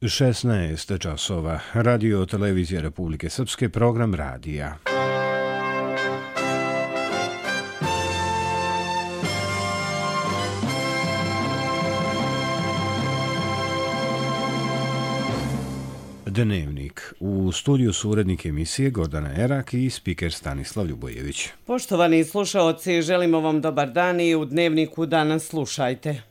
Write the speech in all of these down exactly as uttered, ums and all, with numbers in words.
šesnaest časova. Radio televizija Republike Srpske, program radija. Dnevnik. U studiju su urednik emisije Gordana Erak i spiker Stanislav Ljubojević. Poštovani slušaoci, želimo vam dobar dan i u Dnevniku danas slušajte.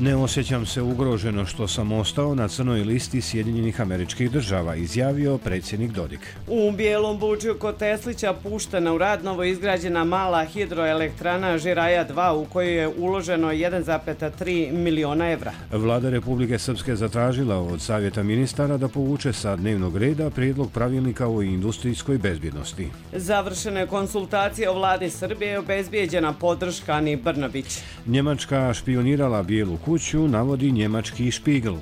Ne osjećam se ugroženo što sam ostao na crnoj listi Sjedinjenih Američkih Država, izjavio predsjednik Dodik. U Bijelom Bučju kod Teslića puštena u rad novo izgrađena mala hidroelektrana Žiraja dva u kojoj je uloženo jedan zarez tri miliona evra. Vlada Republike Srpske zatražila od Savjeta ministara da povuče sa dnevnog reda prijedlog pravilnika o industrijskoj bezbjednosti. Završene konsultacije o vladi Srbije, obezbijeđena podrška Ani Brnabić. Njemačka špionirala Bijelu kuću, navodi njemački Špigl.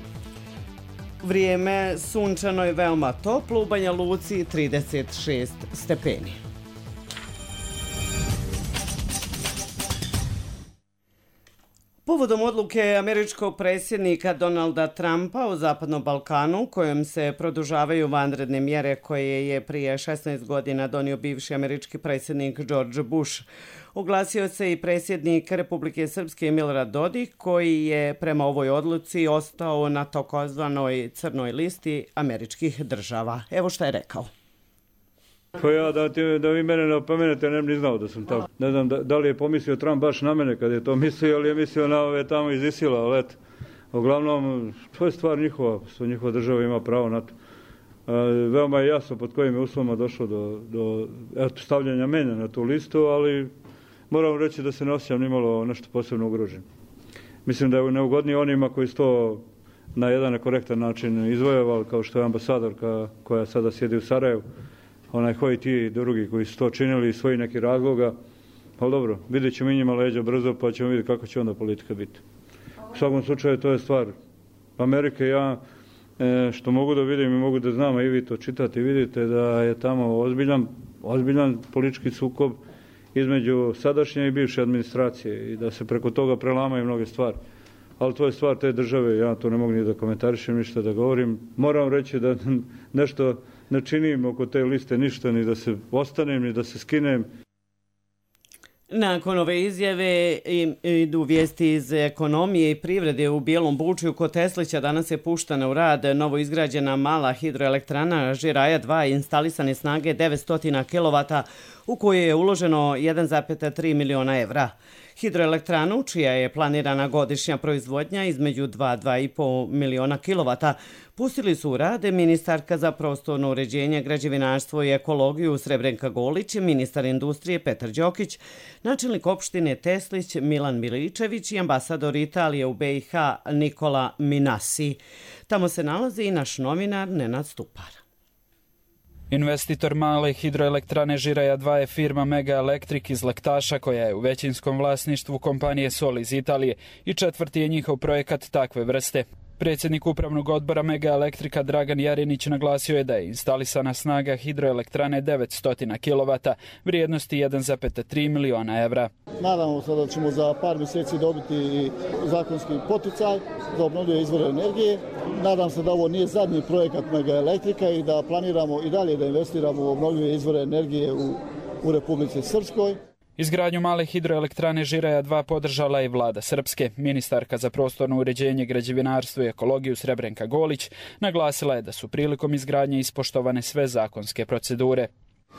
Vrijeme sunčano je veoma toplo, u Banja Luci trideset šest stepeni. Povodom odluke američkog predsjednika Donalda Trumpa o Zapadnom Balkanu, kojom se produžavaju vanredne mjere koje je prije šesnaest godina donio bivši američki predsjednik George Bush, oglasio se i predsjednik Republike Srpske Milorad Dodik, koji je prema ovoj odluci ostao na takozvanoj crnoj listi američkih država. Evo šta je rekao. Pa ja, da, ti, da vi mene ne opomenete, ne bi ni znao da sam tako. Ne znam da, da li je pomislio Trump baš na mene kad je to mislio, ali je mislio na ove tamo iz Isila, ali eto. Uglavnom, to je stvar njihova, što njihova država ima pravo na to. E, veoma je jasno pod kojim je uslovima došlo do, do eto, stavljanja mene na tu listu, ali moram reći da se ne osjećam nimalo nešto posebno ugrožen. Mislim da je neugodnije onima koji su to na jedan nekorektan način izvojevali, kao što je ambasadorka koja sada sjedi u Sarajevu. Onaj koji ti drugi koji su to činili iz svojih nekih razloga, ali dobro, vidjet ćemo i njima leđa brzo pa ćemo vidjeti kako će onda politika biti. U svakom slučaju to je stvar Amerike. Ja što mogu da vidim i mogu da znam, a i vi to čitate i vidite da je tamo ozbiljan, ozbiljan politički sukob između sadašnje i bivše administracije i da se preko toga prelamaju mnoge stvari. Ali to je stvar te države, ja to ne mogu ni da komentarišem, ništa da govorim. Moram reći da nešto ne činim oko te liste ništa, ni da se ostanem, ni da se skinem. Nakon ove izjave idu vijesti iz ekonomije i privrede. U Bijelom Bučju kod Teslića danas je puštena u rad novo izgrađena mala hidroelektrana Žiraja dva instalisane snage devetsto kilovata u kojoj je uloženo jedan zarez tri miliona evra. Hidroelektranu, čija je planirana godišnja proizvodnja između dva do dva i po miliona kilovata, pustili su u rad ministarka za prostorno uređenje, građevinarstvo i ekologiju Srebrenka Golić, ministar industrije Petar Đokić, načelnik opštine Teslić Milan Miličević i ambasador Italije u B i H Nikola Minasi. Tamo se nalazi i naš novinar Nenad Stupar. Investitor male hidroelektrane Žiraja dva je firma Mega Electric iz Lektaša, koja je u većinskom vlasništvu kompanije Sol iz Italije i četvrti je njihov projekat takve vrste. Predsjednik upravnog odbora Mega Elektrika Dragan Jarinić naglasio je da je instalisana snaga hidroelektrane devetsto kilovata, vrijednosti jedan zarez tri miliona evra. Nadamo se da ćemo za par mjeseci dobiti zakonski poticaj za obnovljive izvore energije. Nadam se da ovo nije zadnji projekat Mega Elektrika i da planiramo i dalje da investiramo u obnovljive izvore energije u, u Republici Srpskoj. Izgradnju male hidroelektrane Žiraja dva podržala je vlada Srpske. Ministarka za prostorno uređenje, građevinarstvo i ekologiju Srebrenka Golić naglasila je da su prilikom izgradnje ispoštovane sve zakonske procedure.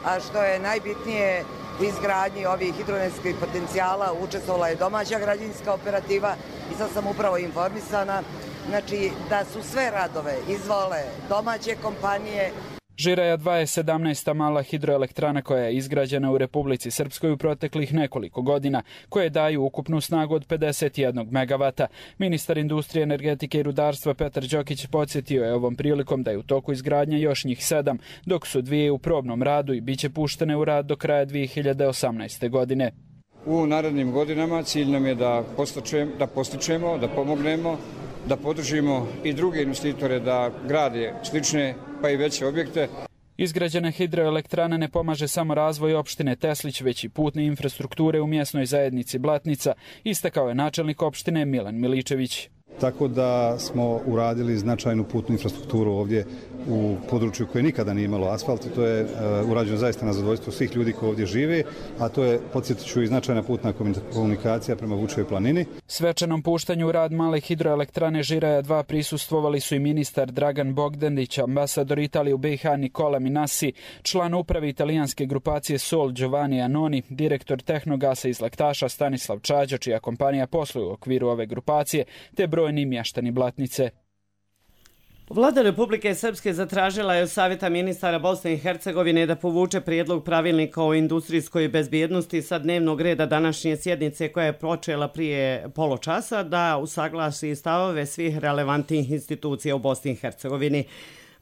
A što je najbitnije, u izgradnji ovih hidroenergetskih potencijala učestvovala je domaća građevinska operativa i sad sam upravo informisana, znači da su sve radove izvole domaće kompanije. Žiraja dva je sedamnaesta mala hidroelektrana koja je izgrađena u Republici Srpskoj u proteklih nekoliko godina, koje daju ukupnu snagu od pedeset jedan megavata. Ministar industrije, energetike i rudarstva Petar Đokić podsjetio je ovom prilikom da je u toku izgradnja još njih sedam, dok su dvije u probnom radu i bit će puštene u rad do kraja dvije hiljade osamnaeste. godine. U narednim godinama cilj nam je da postičemo, da, postičemo, da pomognemo, da podržimo i druge investitore da grade slične pa i veće objekte. Izgrađena hidroelektrana ne pomaže samo razvoj opštine Teslić, već i putne infrastrukture u mjesnoj zajednici Blatnica, istakao je načelnik opštine Milan Miličević. Tako da smo uradili značajnu putnu infrastrukturu ovdje u području koje nikada nije imalo asfalt i to je uh, urađeno zaista na zadovoljstvo svih ljudi koji ovdje žive, a to je, podsjetit ću, i značajna putna komunikacija prema Vučevoj planini. Svečanom puštanju u rad male hidroelektrane Žiraja dva prisustvovali su i ministar Dragan Bogdanić, ambasador Italije u B i H Nikola Minasi, član uprave italijanske grupacije Sol Giovanni Anoni, direktor Tehnogasa iz Lektaša Stanislav Čađa, čija kompanija posluje u okviru ove grupacije, te brojni mještani Blatnice. Vlada Republike Srpske zatražila je od Savjeta ministara Bosne i Hercegovine da povuče prijedlog pravilnika o industrijskoj bezbjednosti sa dnevnog reda današnje sjednice koja je počela prije poločasa, da usaglasi stavove svih relevantnih institucija u Bosni i Hercegovini.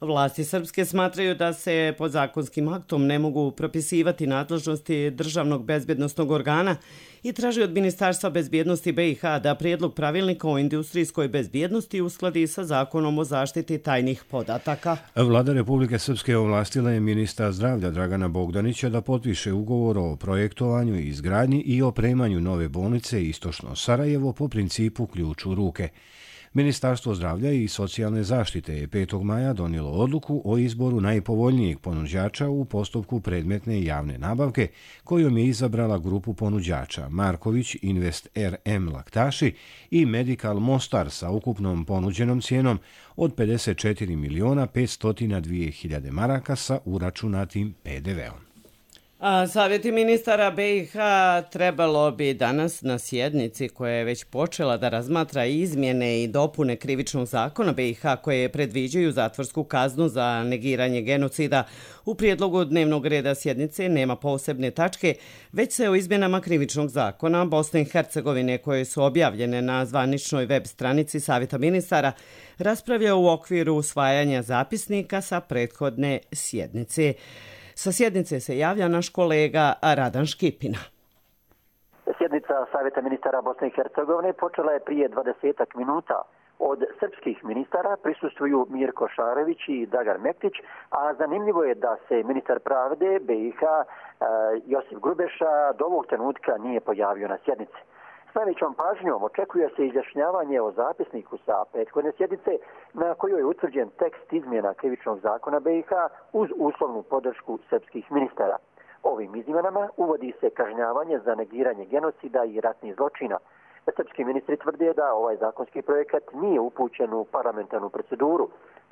Vlasti srpske smatraju da se pod zakonskim aktom ne mogu propisivati nadležnosti državnog bezbjednostnog organa i traži od Ministarstva bezbjednosti B i H da prijedlog pravilnika o industrijskoj bezbjednosti uskladi sa zakonom o zaštiti tajnih podataka. Vlada Republike Srpske ovlastila je ministra zdravlja Dragana Bogdanića da potpiše ugovor o projektovanju, izgradnji i opremanju nove bolnice Istočno Sarajevo po principu ključ u ruke. Ministarstvo zdravlja i socijalne zaštite je petog maja donijelo odluku o izboru najpovoljnijeg ponuđača u postupku predmetne javne nabavke, kojom je izabrala grupu ponuđača Marković Invest R M Laktaši i Medical Mostar sa ukupnom ponuđenom cijenom od pedeset četiri miliona petsto dva hiljade maraka sa uračunatim P D V-om. A Savjeti ministara B i H trebalo bi danas na sjednici koja je već počela da razmatra izmjene i dopune krivičnog zakona B i H koje predviđaju zatvorsku kaznu za negiranje genocida. U prijedlogu dnevnog reda sjednice nema posebne tačke, već se o izmjenama krivičnog zakona Bosne i Hercegovine koje su objavljene na zvaničnoj web stranici Savjeta ministara raspravlja u okviru usvajanja zapisnika sa prethodne sjednice. Sa sjednice se javlja naš kolega Radan Škipina. Sjednica Savjeta ministara Bosne i Hercegovine počela je prije dvadesetak minuta. Od srpskih ministara prisustvuju Mirko Šarević i Dagar Mektić, a zanimljivo je da se ministar pravde B i H Josip Grubeša do ovog trenutka nije pojavio na sjednici. S najvećom pažnjom očekuje se izjašnjavanje o zapisniku sa prethodne sjednice na kojoj je utvrđen tekst izmjena krivičnog zakona B i H uz uslovnu podršku srpskih ministara. Ovim izmjenama uvodi se kažnjavanje za negiranje genocida i ratnih zločina. Srpski ministri tvrde da ovaj zakonski projekat nije upućen u parlamentarnu proceduru.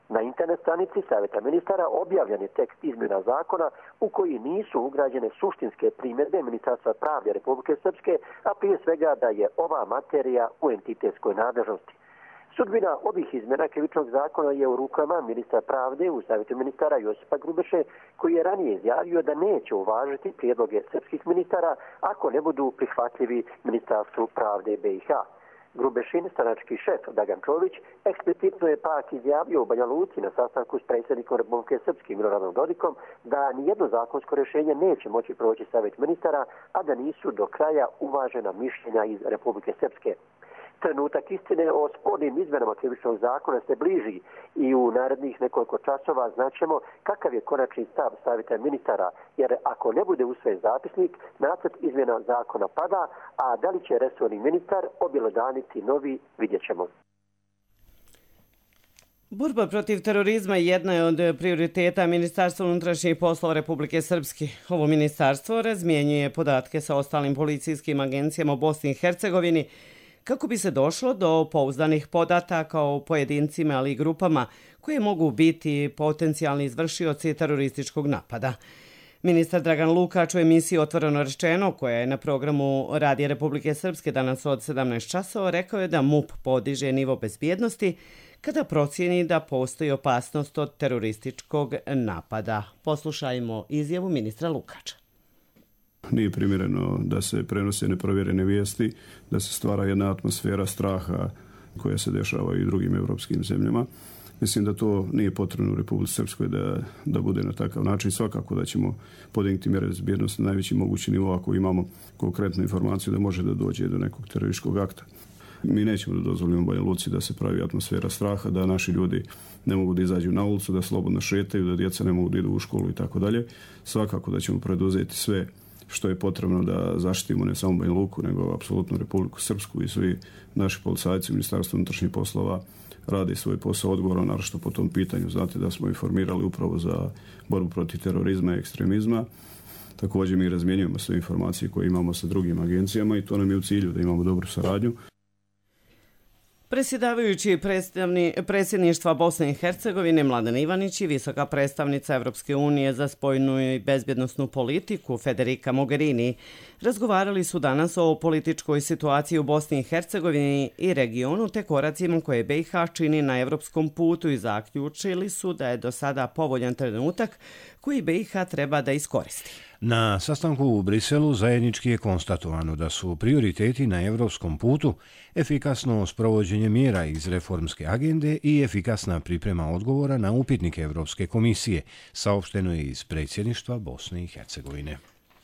Na internet stranici Savjeta ministara objavljen je tekst izmjena zakona u koji nisu ugrađene suštinske primjedbe Ministarstva pravde Republike Srpske, a prije svega da je ova materija u entitetskoj nadležnosti. Sudbina ovih izmjena krivičnog zakona je u rukama ministra pravde u Savjetu ministara Josipa Grubeše, koji je ranije izjavio da neće uvažiti prijedloge srpskih ministara ako ne budu prihvatljivi Ministarstvu pravde B i H. Grubešin, stranački šef Dagan Čović, eksplicitno je pak izjavio u Banja Luci na sastanku s predsjednikom Republike Srpske Miloradom Dodikom da nijedno zakonsko rješenje neće moći proći Savjet ministara, a da nisu do kraja uvažena mišljenja iz Republike Srpske. Trenutak istine o spornim izmenama krivičnog zakona se bliži i u narednih nekoliko časova znaćemo kakav je konačni stav Savjeta ministara, jer ako ne bude usvojen zapisnik, nacrt izmjena zakona pada, a da li će resorni ministar objelodaniti novi, vidjet ćemo. Borba protiv terorizma jedna je od prioriteta Ministarstva unutrašnjih poslova Republike Srpske. Ovo ministarstvo razmjenjuje podatke sa ostalim policijskim agencijama u Bosni i Hercegovini kako bi se došlo do pouzdanih podataka o pojedincima, ali i grupama koje mogu biti potencijalni izvršioci terorističkog napada. Ministar Dragan Lukač u emisiji Otvoreno rečeno, koja je na programu Radija Republike Srpske danas od sedamnaest časova, rekao je da MUP podiže nivo bezbjednosti kada procijeni da postoji opasnost od terorističkog napada. Poslušajmo izjavu ministra Lukača. Nije primjereno da se prenose neprovjerene vijesti, da se stvara jedna atmosfera straha koja se dešava i u drugim evropskim zemljama. Mislim da to nije potrebno u Republici Srpskoj da, da bude na takav način. Svakako da ćemo podignuti mjere bezbjednosti na najveći mogući nivo ako imamo konkretnu informaciju da može da dođe do nekog terorističkog akta. Mi nećemo da dozvolimo Banja Luci da se pravi atmosfera straha, da naši ljudi ne mogu da izađu na ulicu, da slobodno šetaju, da djeca ne mogu da idu u školu i tako dalje. Svakako da ćemo preduzeti sve što je potrebno da zaštitimo ne samo Banja Luku, nego apsolutno Republiku Srpsku i svi naši policajci u Ministarstvu unutrašnjih poslova radi svoj posao odgovorno, naročito po tom pitanju. Znate da smo informirali upravo za borbu protiv terorizma i ekstremizma. Također mi razmjenjujemo sve informacije koje imamo sa drugim agencijama i to nam je u cilju da imamo dobru saradnju. Predsjedavajući predsjedništva Bosne i Hercegovine Mladen Ivanić i visoka predstavnica Evropske unije za spoljnu i bezbjednosnu politiku Federica Mogherini razgovarali su danas o političkoj situaciji u Bosni i Hercegovini i regionu te koracima koje B i H čini na evropskom putu i zaključili su da je do sada povoljan trenutak koji B i H treba da iskoristi. Na sastanku u Briselu zajednički je konstatovano da su prioriteti na evropskom putu efikasno sprovođenje mjera iz reformske agende i efikasna priprema odgovora na upitnike Evropske komisije, saopšteno je iz predsjedništva Bosne i Hercegovine.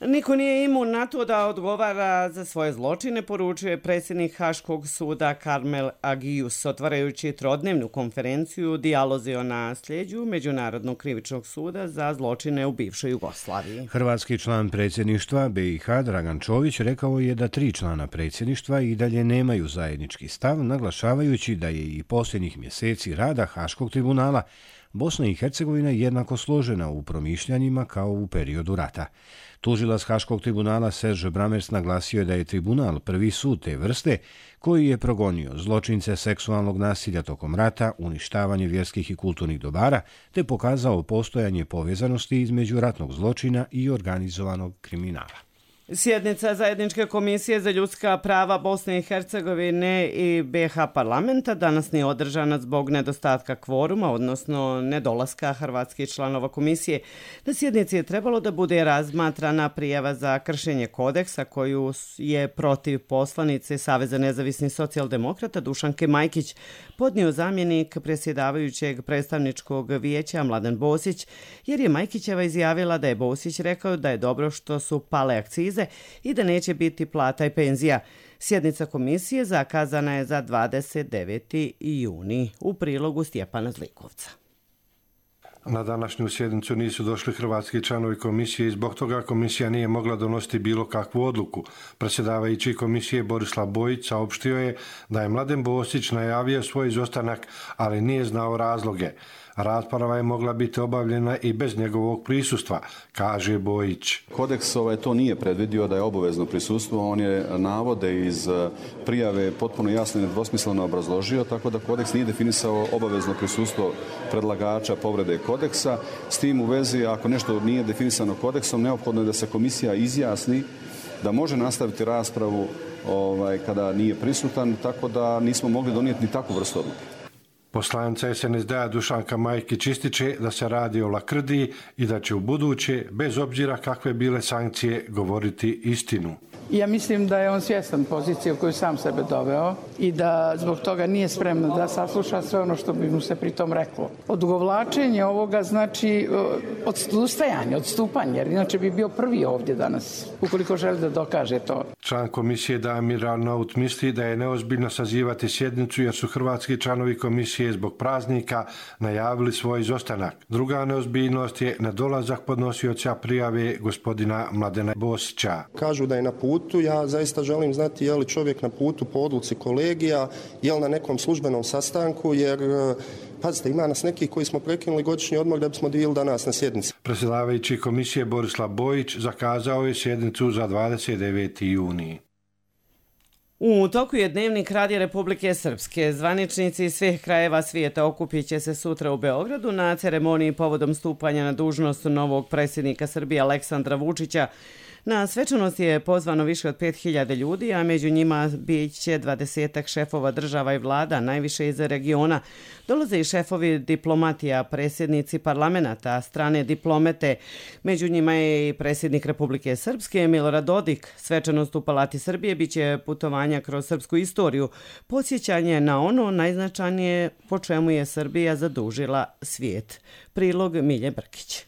Niko nije imun na to da odgovara za svoje zločine, poručuje predsjednik Haškog suda Karmel Agius, otvarajući trodnevnu konferenciju Dijalozi o nasljeđu Međunarodnog krivičnog suda za zločine u bivšoj Jugoslaviji. Hrvatski član predsjedništva B i H Dragan Čović rekao je da tri člana predsjedništva i dalje nemaju zajednički stav, naglašavajući da je i posljednjih mjeseci rada Haškog tribunala Bosna i Hercegovina jednako složena u promišljanjima kao u periodu rata. Tužilac Haškog tribunala Serge Bramers naglasio je da je tribunal prvi sud te vrste koji je progonio zločince seksualnog nasilja tokom rata, uništavanje vjerskih i kulturnih dobara, te pokazao postojanje povezanosti između ratnog zločina i organizovanog kriminala. Sjednica Zajedničke komisije za ljudska prava Bosne i Hercegovine i B i H parlamenta danas nije održana zbog nedostatka kvoruma, odnosno nedolaska hrvatskih članova komisije. Na sjednici je trebalo da bude razmatrana prijava za kršenje kodeksa koju je protiv poslanice Saveza nezavisnih socijaldemokrata Dušanke Majkić podnio zamjenik predsjedavajućeg predstavničkog vijeća Mladen Bosić, jer je Majkićeva izjavila da je Bosić rekao da je dobro što su pale akcize i da neće biti plata i penzija. Sjednica komisije zakazana je za dvadeset deveti juni. U prilogu Stjepana Zlikovca. Na današnju sjednicu nisu došli hrvatski članovi komisije i zbog toga komisija nije mogla donositi bilo kakvu odluku. Predsjedavajući komisije Borislav Bojić saopštio je da je Mladen Bosić najavio svoj izostanak, ali nije znao razloge. Rasprava je mogla biti obavljena i bez njegovog prisustva, kaže Bojić. Kodeks ovaj to nije predvidio da je obavezno prisustvo, on je navode iz prijave potpuno jasno i nedvosmisleno obrazložio, tako da kodeks nije definisao obavezno prisustvo predlagača povrede kodeksa. S tim u vezi, ako nešto nije definisano kodeksom, neophodno je da se komisija izjasni da može nastaviti raspravu ovaj, kada nije prisutan, tako da nismo mogli donijeti ni takvu vrstu odluke. Poslanica S N S D-a Dušanka Majkić ističe da se radi o lakrdiji i da će u buduće, bez obzira kakve bile sankcije, govoriti istinu. Ja mislim da je on svjestan pozicije u koju sam sebe doveo i da zbog toga nije spreman da sasluša sve ono što bi mu se pritom reklo. Odugovlačenje ovoga znači odustajanje, odstupanje, jer inače bi bio prvi ovdje danas, ukoliko želi da dokaže to. Član komisije Damir Arnaut misli da je neozbiljno sazivati sjednicu jer su hrvatski članovi komisije zbog praznika najavili svoj izostanak. Druga neozbiljnost je nedolazak podnosioca prijave gospodina Mladena Bosića. Kažu da je na putu. Ja zaista želim znati je li čovjek na putu po odluci kolegija, je li na nekom službenom sastanku, jer pazite, ima nas neki koji smo prekinuli godišnji odmor da bismo bili danas na sjednici. Predsjedavajući komisije Borislav Bojić zakazao je sjednicu za dvadeset deveti juni. U toku je dnevnik Radija Republike Srpske. Zvaničnici iz svih krajeva svijeta okupit će se sutra u Beogradu na ceremoniji povodom stupanja na dužnost novog predsjednika Srbije Aleksandra Vučića. Na svečanost je pozvano više od pet hiljada ljudi, a među njima bit će dvadesetak šefova država i vlada, najviše iz regiona. Dolaze i šefovi diplomatija, predsjednici parlamenta, strane diplomete. Među njima je i predsjednik Republike Srpske Milorad Dodik. Svečanost u Palati Srbije bit će putovanja kroz srpsku istoriju, podsjećanje na ono najznačajnije po čemu je Srbija zadužila svijet. Prilog Milje Brkić.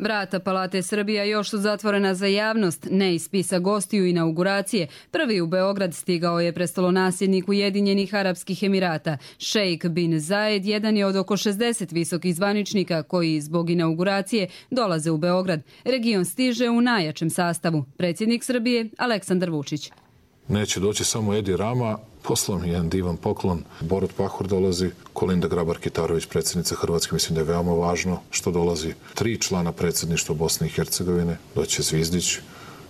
Vrata Palate Srbija još su zatvorena za javnost, ne iz spisa gostiju inauguracije. Prvi u Beograd stigao je prestolonasljednik Ujedinjenih Arapskih Emirata. Šejk bin Zayed jedan je od oko šezdeset visokih zvaničnika koji zbog inauguracije dolaze u Beograd. Region stiže u najjačem sastavu. Predsjednik Srbije Aleksandar Vučić. Neće doći samo Edi Rama, poslao mi jedan divan poklon. Borut Pahor dolazi, Kolinda Grabar-Kitarović, predsjednica Hrvatske, mislim da je veoma važno što dolazi. Tri člana predsjedništva Bosne i Hercegovine, doće Zvizdić,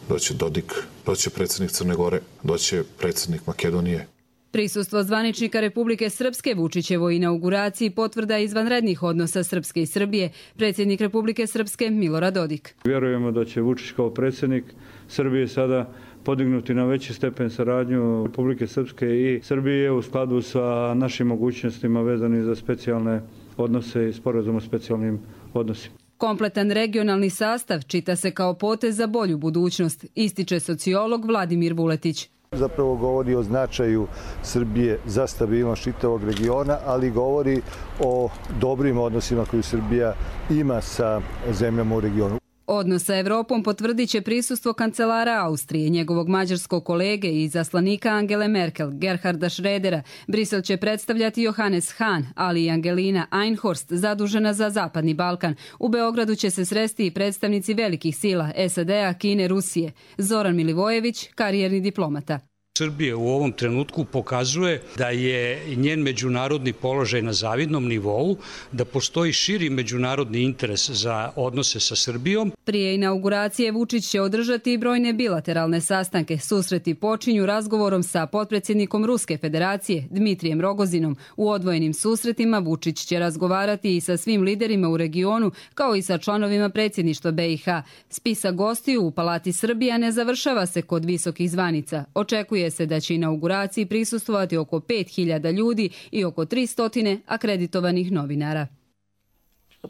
doće Dodik, doće predsjednik Crne Gore, doće predsjednik Makedonije. Prisustvo zvaničnika Republike Srpske Vučićevoj inauguraciji potvrda izvanrednih odnosa Srpske i Srbije. Predsjednik Republike Srpske Milorad Dodik. Vjerujemo da će Vučić kao predsjednik Srbije sada podignuti na veći stepen saradnju Republike Srpske i Srbije u skladu sa našim mogućnostima vezanim za specijalne odnose i sporazum o specijalnim odnosima. Kompletan regionalni sastav čita se kao potez za bolju budućnost, ističe sociolog Vladimir Vuletić. Zapravo govori o značaju Srbije za stabilnost čitavog regiona, ali govori o dobrim odnosima koje Srbija ima sa zemljama u regionu. Odnos sa Evropom potvrdit će prisustvo kancelara Austrije, njegovog mađarskog kolege i zaslanika Angele Merkel, Gerharda Schrödera. Brisel će predstavljati Johannes Hahn, ali i Angelina Einhorst, zadužena za Zapadni Balkan. U Beogradu će se sresti i predstavnici velikih sila S A D-a, Kine, Rusije. Zoran Milivojević, karijerni diplomata. Srbija u ovom trenutku pokazuje da je njen međunarodni položaj na zavidnom nivou, da postoji širi međunarodni interes za odnose sa Srbijom. Prije inauguracije Vučić će održati i brojne bilateralne sastanke. Susreti počinju razgovorom sa potpredsjednikom Ruske federacije Dmitrijem Rogozinom. U odvojenim susretima Vučić će razgovarati i sa svim liderima u regionu, kao i sa članovima predsjedništva B i H. Spisak gostiju u Palati Srbija ne završava se kod visokih zvanica. Očekuje se da će inauguraciji prisustvovati oko pet hiljada ljudi i oko tristo akreditovanih novinara.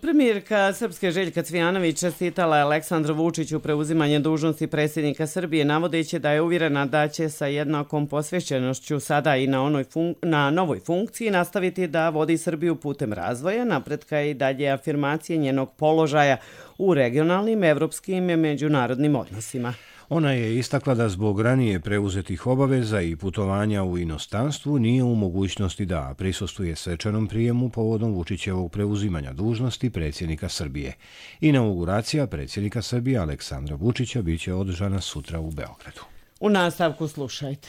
Premijerka Srpske Željka Cvijanović čestitala je Aleksandru Vučiću preuzimanje dužnosti predsjednika Srbije, navodeći da je uvjerena da će sa jednakom posvećenošću sada i na, onoj fun- na novoj funkciji nastaviti da vodi Srbiju putem razvoja, napretka i dalje afirmacije njenog položaja u regionalnim, evropskim i međunarodnim odnosima. Ona je istakla da zbog ranije preuzetih obaveza i putovanja u inostranstvu nije u mogućnosti da prisustvuje svečanom prijemu povodom Vučićevog preuzimanja dužnosti predsjednika Srbije. Inauguracija predsjednika Srbije Aleksandra Vučića biće održana sutra u Beogradu. U nastavku slušajte.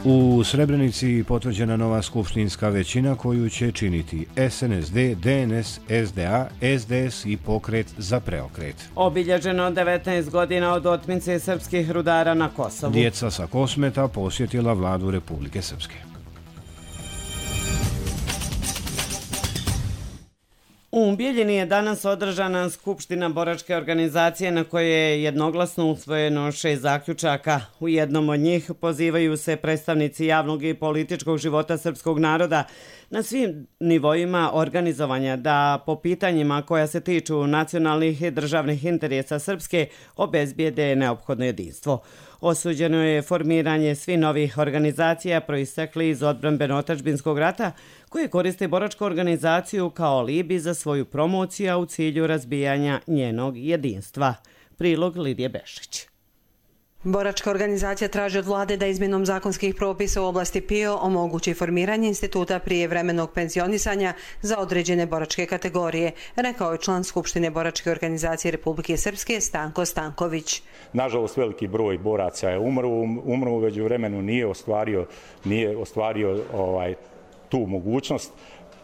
U Srebrenici potvrđena nova skupštinska većina koju će činiti S N S D, D N S, S D A, S D S i Pokret za preokret. Obilježeno devetnaest godina od otmice srpskih rudara na Kosovu. Djeca sa Kosmeta posjetila vladu Republike Srpske. U Bijeljini je danas održana skupština boračke organizacije na kojoj je jednoglasno usvojeno šest zaključaka. U jednom od njih pozivaju se predstavnici javnog i političkog života srpskog naroda na svim nivoima organizovanja da po pitanjima koja se tiču nacionalnih i državnih interesa Srpske obezbijede neophodno jedinstvo. Osuđeno je formiranje svih novih organizacija proistekli iz odbrambeno-otadžbinskog rata koje koriste boračku organizaciju kao alibi za svoju promociju, a u cilju razbijanja njenog jedinstva. Prilog Lidije Bešić. Boračka organizacija traži od vlade da izmjenom zakonskih propisa u oblasti P I O omogući formiranje instituta prijevremenog penzionisanja za određene boračke kategorije, rekao je član Skupštine Boračke organizacije Republike Srpske Stanko Stanković. Nažalost, veliki broj boraca je umro, umro u međuvremenu nije ostvario, nije ostvario ovaj, tu mogućnost.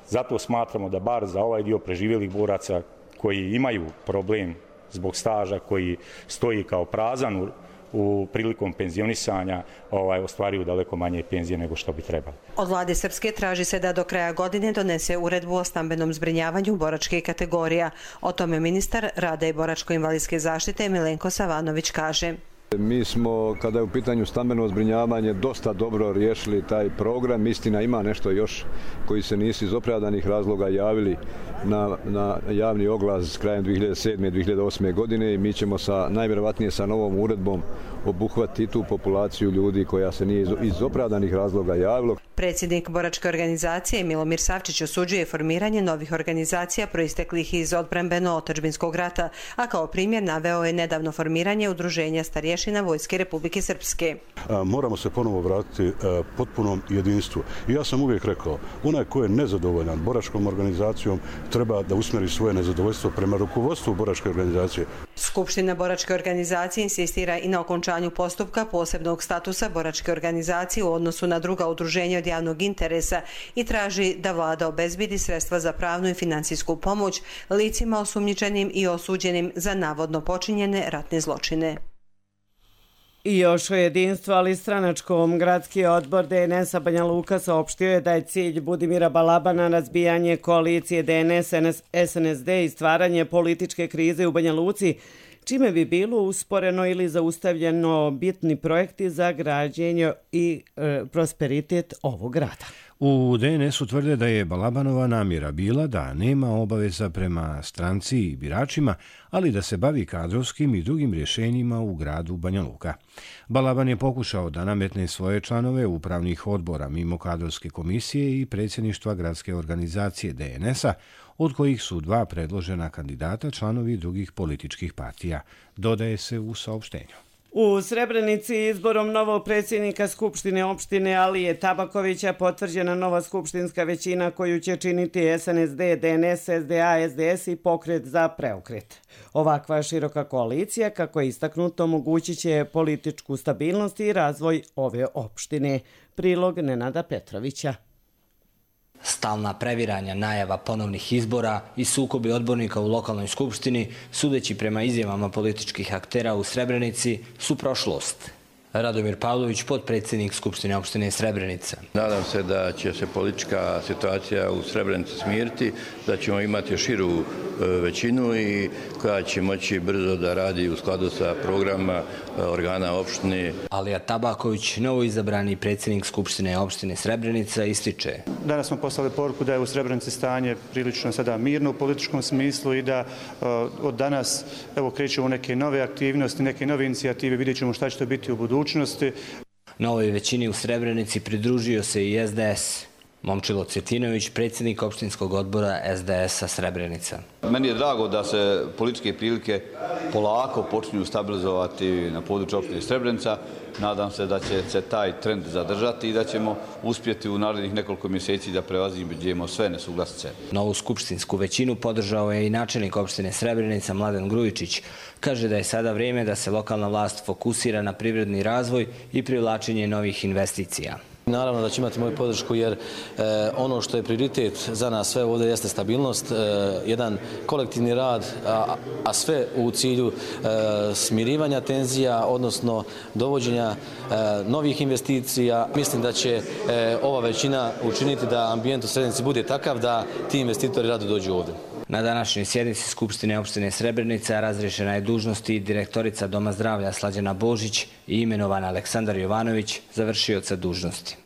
Zato smatramo da bar za ovaj dio preživjelih boraca koji imaju problem zbog staža, koji stoji kao prazan u u prilikom penzionisanja ovaj, ostvaruju daleko manje penzije nego što bi trebalo. Od vlade Srpske traži se da do kraja godine donese uredbu o stambenom zbrinjavanju boračke kategorija. O tome ministar rada i boračko-invalidske zaštite Milenko Savanović kaže. Mi smo, kada je u pitanju stambeno zbrinjavanje, dosta dobro riješili taj program. Istina, ima nešto još koji se nisu iz opravdanih razloga javili na, na javni oglas krajem dvije hiljade sedme. i dvije hiljade osme. godine i mi ćemo sa, najvjerovatnije sa novom uredbom obuhvatiti tu populaciju ljudi koja se nije iz, iz opravdanih razloga javilo. Predsjednik boračke organizacije Milomir Savčić osuđuje formiranje novih organizacija proisteklih iz odbrambeno-otadžbinskog rata, a kao primjer naveo je nedavno formiranje Udruženja starješina Vojske Republike Srpske. Moramo se ponovo vratiti potpunom jedinstvu. I ja sam uvijek rekao, onaj ko je nezadovoljan boračkom organizacijom treba da usmjeri svoje nezadovoljstvo prema rukovodstvu boračke organizacije. Skupština boračke organizacije insistira i na okončanju postupka posebnog statusa boračke organizacije u odnosu na druga udruženja od javnog interesa i traži da vlada obezbedi sredstva za pravnu i finansijsku pomoć licima osumnjičenim i osuđenim za navodno počinjene ratne zločine. I još o jedinstvu, ali stranačkom. Gradski odbor D N S-a Banja Luka saopštio je da je cilj Budimira Balabana razbijanje koalicije D N S S N S D i stvaranje političke krize u Banja Luci, čime bi bilo usporeno ili zaustavljeno bitni projekti za građenje i e, prosperitet ovog grada. U D N S-u tvrde da je Balabanova namjera bila da nema obaveza prema stranci i biračima, ali da se bavi kadrovskim i drugim rješenjima u gradu Banja Luka. Balaban je pokušao da nametne svoje članove upravnih odbora mimo kadrovske komisije i predsjedništva gradske organizacije D N S-a, od kojih su dva predložena kandidata članovi drugih političkih partija, dodaje se u saopštenju. U Srebrenici izborom novog predsjednika Skupštine opštine Alije Tabakovića potvrđena nova skupštinska većina koju će činiti S N S D, D N S, S D A, S D S i Pokret za preokret. Ovakva široka koalicija, kako je istaknuto, omogućit će političku stabilnost i razvoj ove opštine. Prilog Nenada Petrovića. Stalna previranja najava ponovnih izbora i sukobi odbornika u lokalnoj skupštini, sudeći prema izjavama političkih aktera u Srebrenici, su prošlost. Radomir Pavlović, potpredsjednik Skupštine opštine Srebrenica. Nadam se da će se politička situacija u Srebrenici smiriti, da ćemo imati širu većinu i koja će moći brzo da radi u skladu sa programa organa opštine. Alija Tabaković, novoizabrani predsjednik Skupštine opštine Srebrenica, ističe. Danas smo poslali poruku da je u Srebrenici stanje prilično sada mirno u političkom smislu i da od danas evo krećemo neke nove aktivnosti, neke nove inicijative, vidjet ćemo šta će to biti u budućnosti. Novoj većini u Srebrenici pridružio se i S D S. Momčilo Cvjetinović, predsjednik opštinskog odbora S D S-a Srebrenica. Meni je drago da se političke prilike polako počinju stabilizovati na području opštine Srebrenica. Nadam se da će se taj trend zadržati i da ćemo uspjeti u narednih nekoliko mjeseci da prevaziđemo sve nesuglasice. Novu skupštinsku većinu podržao je i načelnik opštine Srebrenica Mladen Grujičić. Kaže da je sada vrijeme da se lokalna vlast fokusira na privredni razvoj i privlačenje novih investicija. Naravno da će imati moju podršku jer e, ono što je prioritet za nas sve ovdje jeste stabilnost, e, jedan kolektivni rad, a, a sve u cilju e, smirivanja tenzija, odnosno dovođenja e, novih investicija. Mislim da će e, ova većina učiniti da ambijent u Srebrenici bude takav da ti investitori rado dođu ovdje. Na današnjoj sjednici Skupštine opštine Srebrenica razriješena je dužnost i direktorica Doma zdravlja Slađana Božić i imenovan Aleksandar Jovanović, završioca dužnosti.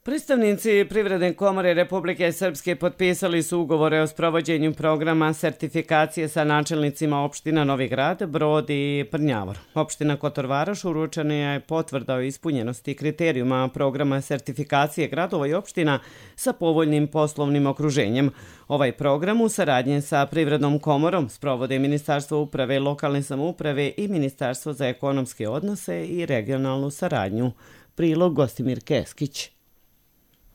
Predstavnici Privredne komore Republike Srpske potpisali su ugovore o sprovođenju programa sertifikacije sa načelnicima opština Novi Grad, Brod i Prnjavor. Opština Kotor Varoš uručena je potvrda o ispunjenosti kriterijuma programa sertifikacije gradova i opština sa povoljnim poslovnim okruženjem. Ovaj program u saradnji sa Privrednom komorom sprovode Ministarstvo uprave, lokalne samouprave i Ministarstvo za ekonomske odnose i regionalnu saradnju. Prilog Gostimir Keskić.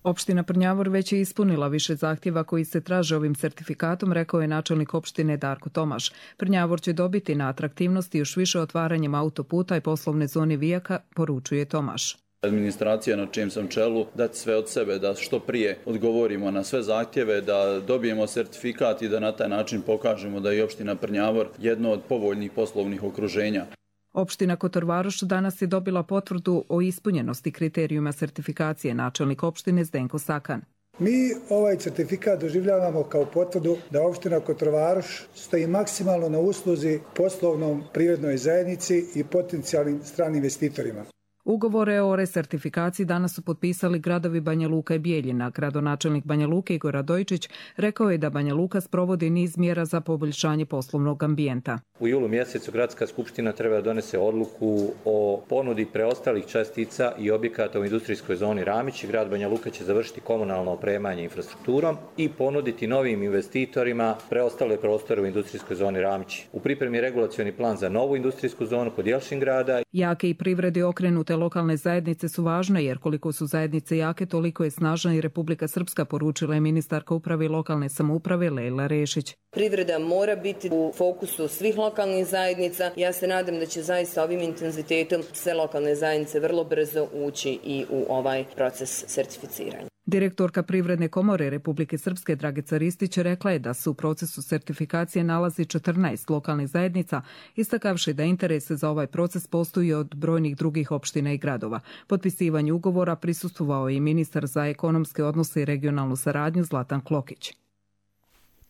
Opština Prnjavor već je ispunila više zahtjeva koji se traže ovim sertifikatom, rekao je načelnik opštine Darko Tomaš. Prnjavor će dobiti na atraktivnosti još više otvaranjem autoputa i poslovne zone Vijaka, poručuje Tomaš. Administracija na čijem sam čelu dati sve od sebe da što prije odgovorimo na sve zahtjeve, da dobijemo sertifikat i da na taj način pokažemo da je opština Prnjavor jedno od povoljnih poslovnih okruženja. Opština Kotor Varoš danas je dobila potvrdu o ispunjenosti kriterijuma sertifikacije, načelnik opštine Zdenko Sakan. Mi ovaj certifikat doživljavamo kao potvrdu da opština Kotrovaroš stoji maksimalno na usluzi poslovnom privrednoj zajednici i potencijalnim stranim investitorima. Ugovore o resertifikaciji danas su potpisali gradovi Banja Luka i Bijeljina. Gradonačelnik Banja Luke Igor Radojičić rekao je da Banja Luka sprovodi niz mjera za poboljšanje poslovnog ambijenta. U julu mjesecu Gradska skupština treba da donese odluku o ponudi preostalih čestica i objekata u industrijskoj zoni Ramić. Grad Banja Luka će završiti komunalno opremanje infrastrukturom i ponuditi novim investitorima preostale prostore u industrijskoj zoni Ramić. U pripremi je regulacioni plan za novu industrijsku zonu kod Jelšingrada. Jake i privredi okrenute lokalne zajednice su važne, jer koliko su zajednice jake, toliko je snažna i Republika Srpska, poručila je ministarka uprave i lokalne samouprave Lejla Rešić. Privreda mora biti u fokusu svih lokalnih zajednica. Ja se nadam da će zaista ovim intenzitetom sve lokalne zajednice vrlo brzo ući i u ovaj proces sertificiranja. Direktorka Privredne komore Republike Srpske Dragica Ristić rekla je da se u procesu sertifikacije nalazi četrnaest lokalnih zajednica, istakavši da interese za ovaj proces postoji od brojnih drugih opština i gradova. Potpisivanju ugovora prisustvovao je i ministar za ekonomske odnose i regionalnu saradnju Zlatan Klokić.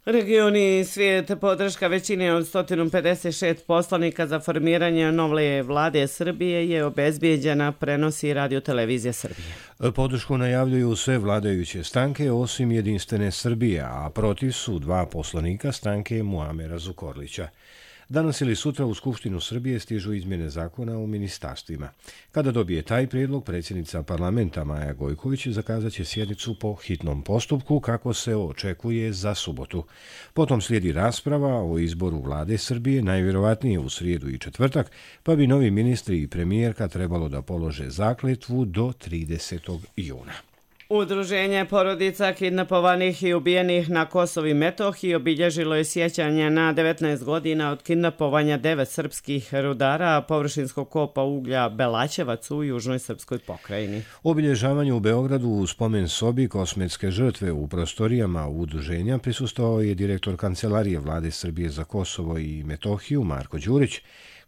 Regioni svijet podrška većine od sto pedeset šest poslanika za formiranje nove vlade Srbije je obezbijeđena, prenosi Radio Televizija Srbije. Podršku najavljuju sve vladajuće stranke osim Jedinstvene Srbije, a protiv su dva poslanika stranke Muamera Zukorlića. Danas ili sutra u Skupštinu Srbije stižu izmjene zakona o ministarstvima. Kada dobije taj prijedlog, predsjednica parlamenta Maja Gojković zakazat će sjednicu po hitnom postupku kako se očekuje za subotu. Potom slijedi rasprava o izboru vlade Srbije, najvjerovatnije u srijedu i četvrtak, pa bi novi ministri i premijerka trebalo da polože zakletvu do tridesetog juna. Udruženje porodica kidnapovanih i ubijenih na Kosovu i Metohiji obilježilo je sjećanje na devetnaest godina od kidnapovanja devet srpskih rudara površinskog kopa uglja Belaćevac u južnoj srpskoj pokrajini. Obilježavanju u Beogradu u spomen sobi kosmetske žrtve u prostorijama udruženja prisustvovao je direktor Kancelarije vlade Srbije za Kosovo i Metohiju Marko Đurić,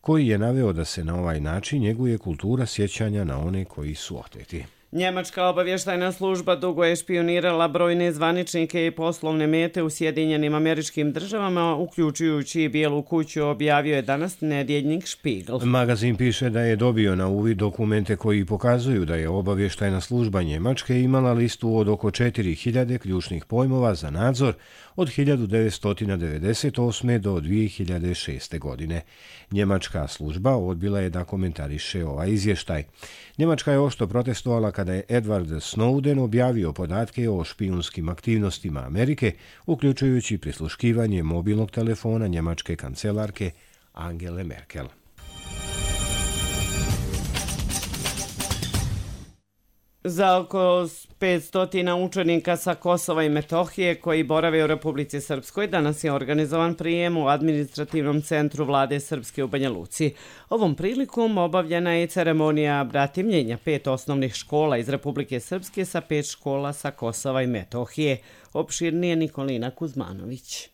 koji je naveo da se na ovaj način njeguje kultura sjećanja na one koji su oteti. Njemačka obavještajna služba dugo je špionirala brojne zvaničnike i poslovne mete u Sjedinjenim Američkim Državama, uključujući i Bijelu kuću, objavio je danas nedjeljnik Špigl. Magazin piše da je dobio na uvid dokumente koji pokazuju da je obavještajna služba Njemačke imala listu od oko četiri hiljade ključnih pojmova za nadzor od hiljadu devetsto devedeset osme do dvije hiljade šeste. godine. Njemačka služba odbila je da komentariše ovaj izvještaj. Njemačka je oštro protestovala kada je Edward Snowden objavio podatke o špijunskim aktivnostima Amerike, uključujući prisluškivanje mobilnog telefona njemačke kancelarke Angele Merkel. Za oko petsto učenika sa Kosova i Metohije koji borave u Republici Srpskoj danas je organizovan prijem u administrativnom centru vlade Srpske u Banja Luci. Ovom prilikom obavljena je ceremonija bratimljenja pet osnovnih škola iz Republike Srpske sa pet škola sa Kosova i Metohije. Opširnije Nikolina Kuzmanović.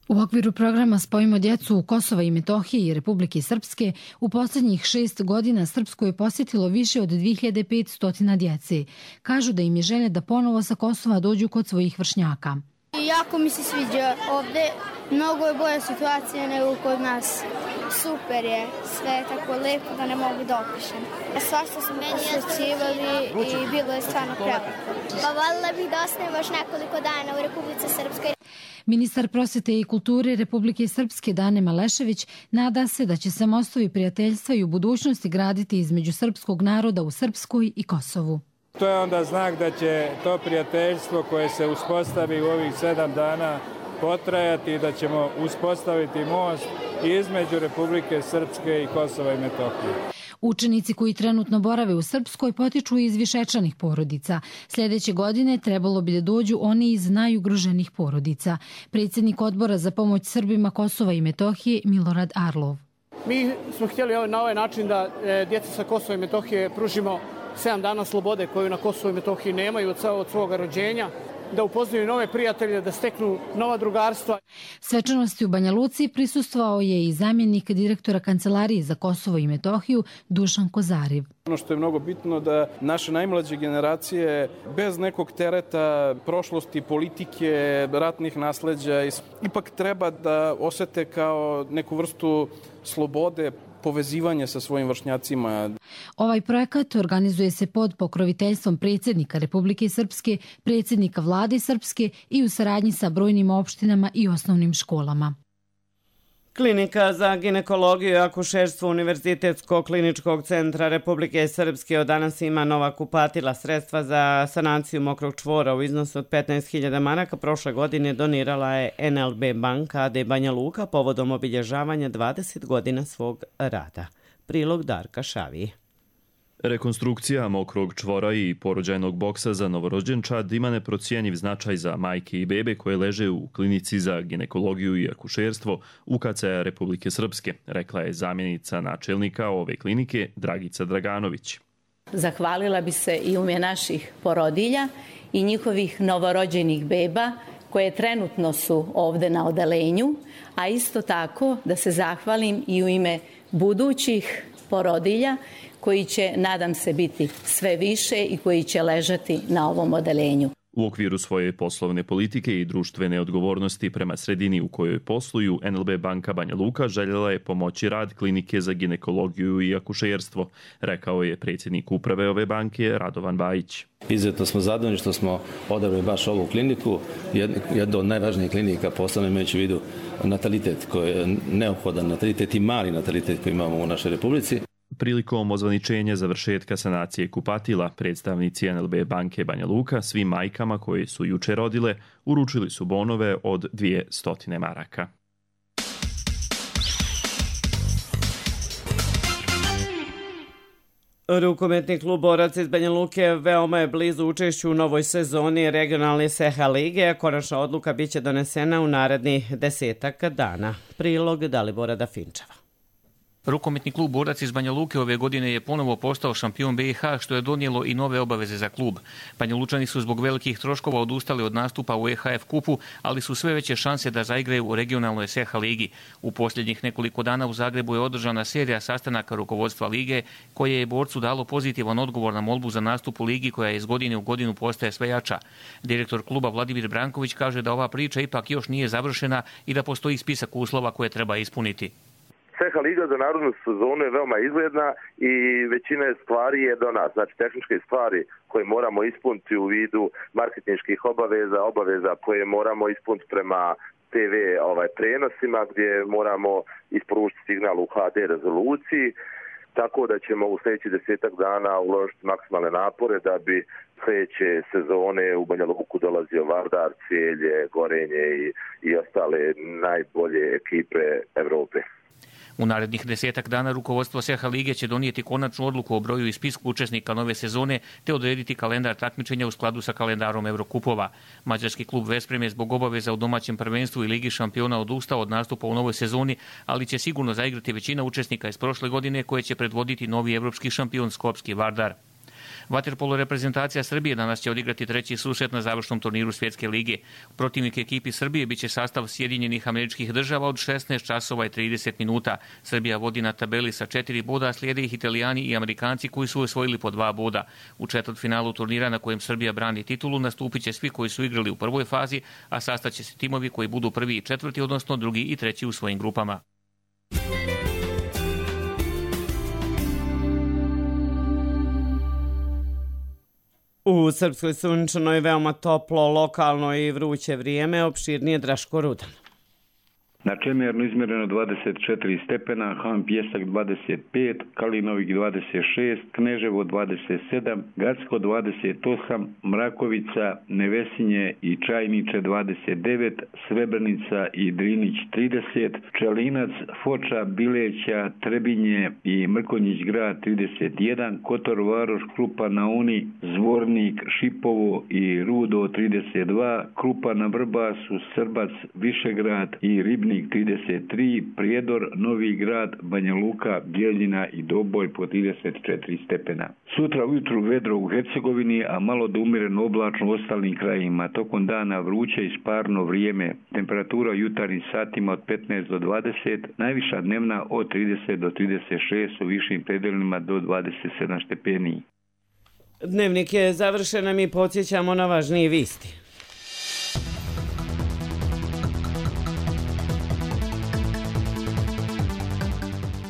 U okviru programa Spojimo djecu u Kosova i Metohije i Republike Srpske u posljednjih šest godina Srpsku je posjetilo više od dvije hiljade petsto djece. Kažu da im je želja da ponovo sa Kosova dođu kod svojih vršnjaka. Jako mi se sviđa ovdje. Mnogo je bolja situacija nego kod nas. Super je, sve je tako lepo da ne mogu da opišem. Svašta smo posjećivali i bilo je stvarno prelepo. Pa voljela bih da ostanem baš nekoliko dana u Republici Srpskoj. Ministar prosvete i kulture Republike Srpske Dane Malešević nada se da će se mostovi prijateljstva i u budućnosti graditi između srpskog naroda u Srpskoj i Kosovu. To je onda znak da će to prijateljstvo koje se uspostavi u ovih sedam dana potrajati i da ćemo uspostaviti most između Republike Srpske i Kosova i Metohije. Učenici koji trenutno borave u Srpskoj potiču iz višečlanih porodica. Sljedeće godine trebalo bi da dođu oni iz najugroženih porodica. Predsjednik odbora za pomoć Srbima Kosova i Metohije Milorad Arlov. Mi smo htjeli na ovaj način da djeca sa Kosova i Metohije pružimo sedam dana slobode koju na Kosovu i Metohiji nemaju od svoga rođenja. da upoznaju nove prijatelje, da steknu nova drugarstva. Svečanosti u Banja Luci prisustvovao je i zamjenik direktora Kancelarije za Kosovo i Metohiju Dušan Kozariv. Ono što je mnogo bitno da naše najmlađe generacije bez nekog tereta prošlosti, politike, ratnih nasleđa ipak treba da osete kao neku vrstu slobode, povezivanje sa svojim vršnjacima. Ovaj projekat organizuje se pod pokroviteljstvom predsjednika Republike Srpske, predsjednika Vlade Srpske i u saradnji sa brojnim opštinama i osnovnim školama. Klinika za ginekologiju i akušerstvo Univerzitetskog kliničkog centra Republike Srpske od danas ima nova kupatila. Sredstva za sanaciju mokrog čvora u iznosu od petnaest hiljada maraka prošle godine donirala je en el be banka a de Banja Luka povodom obilježavanja dvadeset godina svog rada. Prilog Darka Šavije. Rekonstrukcija mokrog čvora i porođajnog boksa za novorođenčad ima neprocijenjiv značaj za majke i bebe koje leže u klinici za ginekologiju i akušerstvo U K C-a Republike Srpske, rekla je zamjenica načelnika ove klinike Dragica Draganović. Zahvalila bi se i u ime naših porodilja i njihovih novorođenih beba koje trenutno su ovde na odelenju, a isto tako da se zahvalim i u ime budućih porodilja koji će, nadam se, biti sve više i koji će ležati na ovom odelenju. U okviru svoje poslovne politike i društvene odgovornosti prema sredini u kojoj posluju, en el be banka Banja Luka željela je pomoći rad klinike za ginekologiju i akušerstvo, rekao je predsjednik uprave ove banke Radovan Bajić. Izuzetno smo zadovoljni što smo odabrali baš ovu kliniku, jednu od najvažnijih klinika, posebno imajući u vidu natalitet koji je neophodan, natalitet i mali natalitet koji imamo u našoj republici. Prilikom ozvaničenja završetka sanacije kupatila, predstavnici en el be banke Banja Luka svim majkama koje su juče rodile uručili su bonove od dvjesto maraka. Rukometni klub Borac iz Banja Luke veoma je blizu učešću u novoj sezoni regionalne S E H A lige. Konačna odluka biće donesena u narednih desetak dana. Prilog Dalibora Dafinčeva. Rukometni klub Borac iz Banja Luke ove godine je ponovo postao šampion be i ha, što je donijelo i nove obaveze za klub. Banja Lučani su zbog velikih troškova odustali od nastupa u E H F kupu, ali su sve veće šanse da zaigraju u regionalnoj S E H A ligi. U posljednjih nekoliko dana u Zagrebu je održana serija sastanaka rukovodstva lige, koje je borcu dalo pozitivan odgovor na molbu za nastup u ligi koja iz godine u godinu postaje sve jača. Direktor kluba Vladimir Branković kaže da ova priča ipak još nije završena i da postoji spisak uslova koje treba ispuniti. S E H A liga za narodnu sezonu je veoma izgledna i većina stvari je do nas. Znači tehničke stvari koje moramo ispuniti u vidu marketinških obaveza, obaveza koje moramo ispuniti prema te ve ovaj, prenosima gdje moramo isporučiti signal u ha de rezoluciji. Tako da ćemo u sljedećih desetak dana uložiti maksimalne napore da bi sljedeće sezone u Banja Luku dolazio Vardar, Cijelje, Gorenje i, i ostale najbolje ekipe Evrope. U narednih desetak dana rukovodstvo S E H A lige će donijeti konačnu odluku o broju i spisku učesnika nove sezone te odrediti kalendar takmičenja u skladu sa kalendarom Evrokupova. Mađarski klub Vesprem je zbog obaveza u domaćem prvenstvu i Ligi šampiona odustao od nastupa u novoj sezoni, ali će sigurno zaigrati većina učesnika iz prošle godine koje će predvoditi novi evropski šampion Skopski Vardar. Vaterpolo reprezentacija Srbije danas će odigrati treći susret na završnom turniru Svjetske lige. Protivnik ekipi Srbije biće sastav Sjedinjenih Američkih Država od šesnaest časova i trideset minuta. Srbija vodi na tabeli sa četiri boda, slijede ih Italijani i Amerikanci koji su osvojili po dva boda. U četvrtfinalu turnira na kojem Srbija brani titulu nastupit će svi koji su igrali u prvoj fazi, a sastaće se timovi koji budu prvi i četvrti, odnosno drugi i treći u svojim grupama. U Srpskoj sunčanoj veoma toplo, lokalno i vruće vrijeme, opširnije Draško Rudan. Na Čemernu izmjereno dvadeset četiri stepena, Han Pjesak dvadeset pet, Kalinovik dvadeset šest, Kneževo dvadeset sedam, Gacko dvadeset osam, Mrakovica, Nevesinje i Čajniče dvadeset devet, Srebrenica i Drinić trideset, Pčelinac, Foča, Bileća, Trebinje i Mrkonjić grad trideset jedan, Kotor Varoš, Krupa na Uni, Zvornik, Šipovo i Rudo trideset dva, Krupa na Vrbasu, Srbac, Višegrad i Ribnik Kopaonik trideset tri, Prijedor, Novi Grad, Banja Luka, Bijeljina i Doboj po trideset četiri stepena. Sutra ujutru vedro u Hercegovini, a malo do umjereno oblačno u ostalim krajima. Tokom dana vruće i sparno vrijeme. Temperatura u jutarnjim satima od petnaest do dvadeset, najviša dnevna od trideset do trideset šest, u višim predelima do dvadeset sedam stepeni. Dnevnik je završen, a mi podsjećamo na važnije vijesti.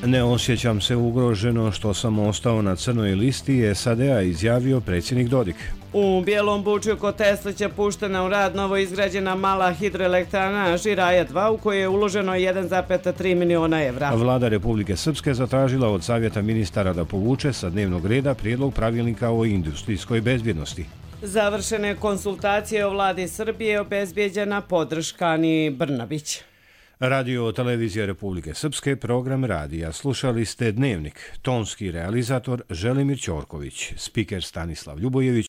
Ne osjećam se ugroženo što sam ostao na crnoj listi, S A D-a izjavio predsjednik Dodik. U Bijelom Bučju kod Teslića puštena u rad novo izgrađena mala hidroelektrana Žiraja dva u kojoj je uloženo jedan zarez tri miliona evra. Vlada Republike Srpske zatražila od Savjeta ministara da povuče sa dnevnog reda prijedlog pravilnika o industrijskoj bezbjednosti. Završene konsultacije o vladi Srbije, obezbijeđena podrška Ani Brnabić. Radio Televizija Republike Srpske, program radija. Slušali ste Dnevnik. Tonski realizator Želimir Ćorković, spiker Stanislav Ljubojević,